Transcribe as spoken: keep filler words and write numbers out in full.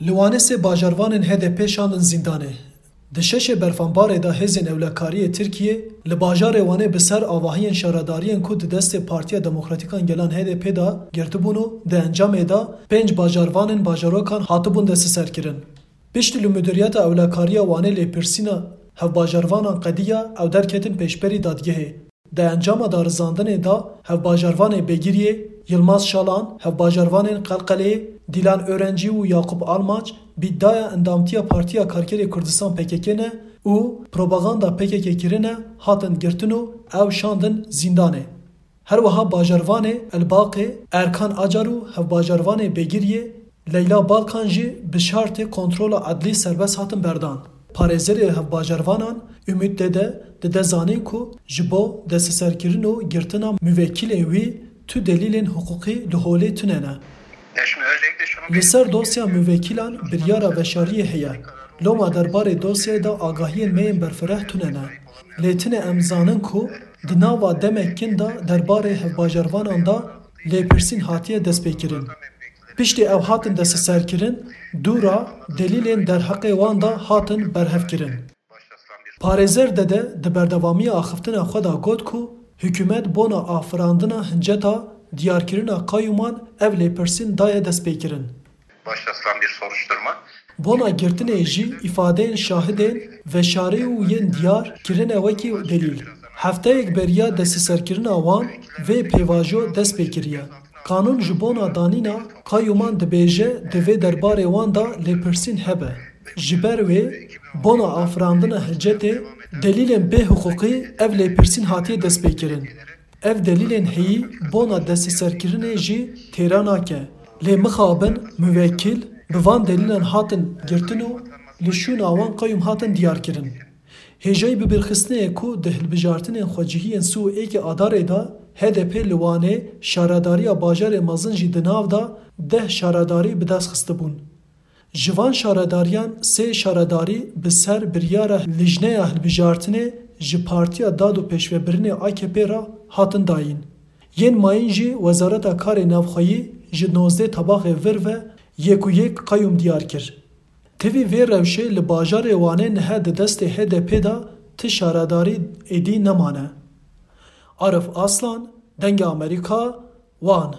Li Wanê sê bajarvanên H D P şandin zîndanê. Di şeşê berfanbarê de hêzên ewlekariyê Tirkiyê li bajarê Wanê bi ser avahiyên şaredariyên ku di destê Partiya Demokratîk a Gelan H D P de girtibûn û di encamê de pênc bajarvanên bajarokan hatibûn desteserkirin. Piştî li Mudiriyeta Ewlekariya Wanê lêpirsîna hevbajarvanan qediya, ew derketin pêşberî dadgehê. Di encama darizandinê de hevbajarvanê Begiriyê, Yilmaz Şalan, hevbajarvanên Qelqeleyê, Dîlan Öğrenci û Yakup Almaç bi îdiaya endamtiya Partiya Karkerê Kurdistan P K K ne û propaganda P K K kirine, hatin girtin û ew şandin zîndanê. Her wiha bajarvanê Elbaqê Erkan Acar û hevbajarvanê Begiriyê Leyla Balkan jî bi şartê kontrola edlî serbest hatin berdan. Parêzerê hevbajarvanan Ümit Dede dide zanîn ku ji bo desteserkirin û girtina muvekîlên wî tu delîlên hiqûqî li holê tune ne. Li ser dosya muvekîlan biryara veşariyê heye. Loma derbarê dosyayê de agahiyên me yên berfireh tune ne. Lê tune em zanin ku di nava demek kin de derbarê hevbajarvanan de lêpirsîn hatiye destpêkirin. Piştî ew hatin desteserkirin, dûra delîlên derheqê wan de hatin berhevkirin. Parêzer Dede di berdewamiya axiftina xwe de got ku hikûmet bona afirandina hinceta diyarkirina qayûman ev lêpirsîn daye destpêkirin. Başlatılan bir soruşturma. Bona girtinê jî îfadeyên şahidên veşarî û yên diyar kirine wekî delîl. Hefteyek beriya desteserkirina wan vê pêvajo dest pê kiriye. Qanûn ji bona danîna qayûman dibêje di vê derbarê wan de lêpirsîn hebe. Ji ber wê bona afirandina hicetê delîlên bêhiqûqî ev lêpirsîn hatiye destpêkirin. Ev delîlên heyî bona desteserkirinê jî têra nake. Lê mixabin muvekîl bi van delîlan hatin girtin û li şûna wan qayûm hatin diyarkirin. Hêjayî bibîrxistinê ye ku di hilbijartinên xwecihiyên sî û êkê Adarê de H D P li Wanê şaredariya bajarê mezin jî di nav de deh şaredarî bi dest xistibûn. Ji van şaredariyan sê şaredarî bi ser biryara Lijneya Hilbijartinê ji Partiya Dad û Pêşvebirinê A K P re hatin dayîn. Yên mayîn jî Wezareta Karê Navxweyî ji nozdeh tabaxê vir ve yek û yek qayûm diyar kir. Tevî vê rewşê li bajarê Wanê niha di destê H D P de ti şaredarî êdî nemane. Arif Aslan, Dengê Amerîka, Wan.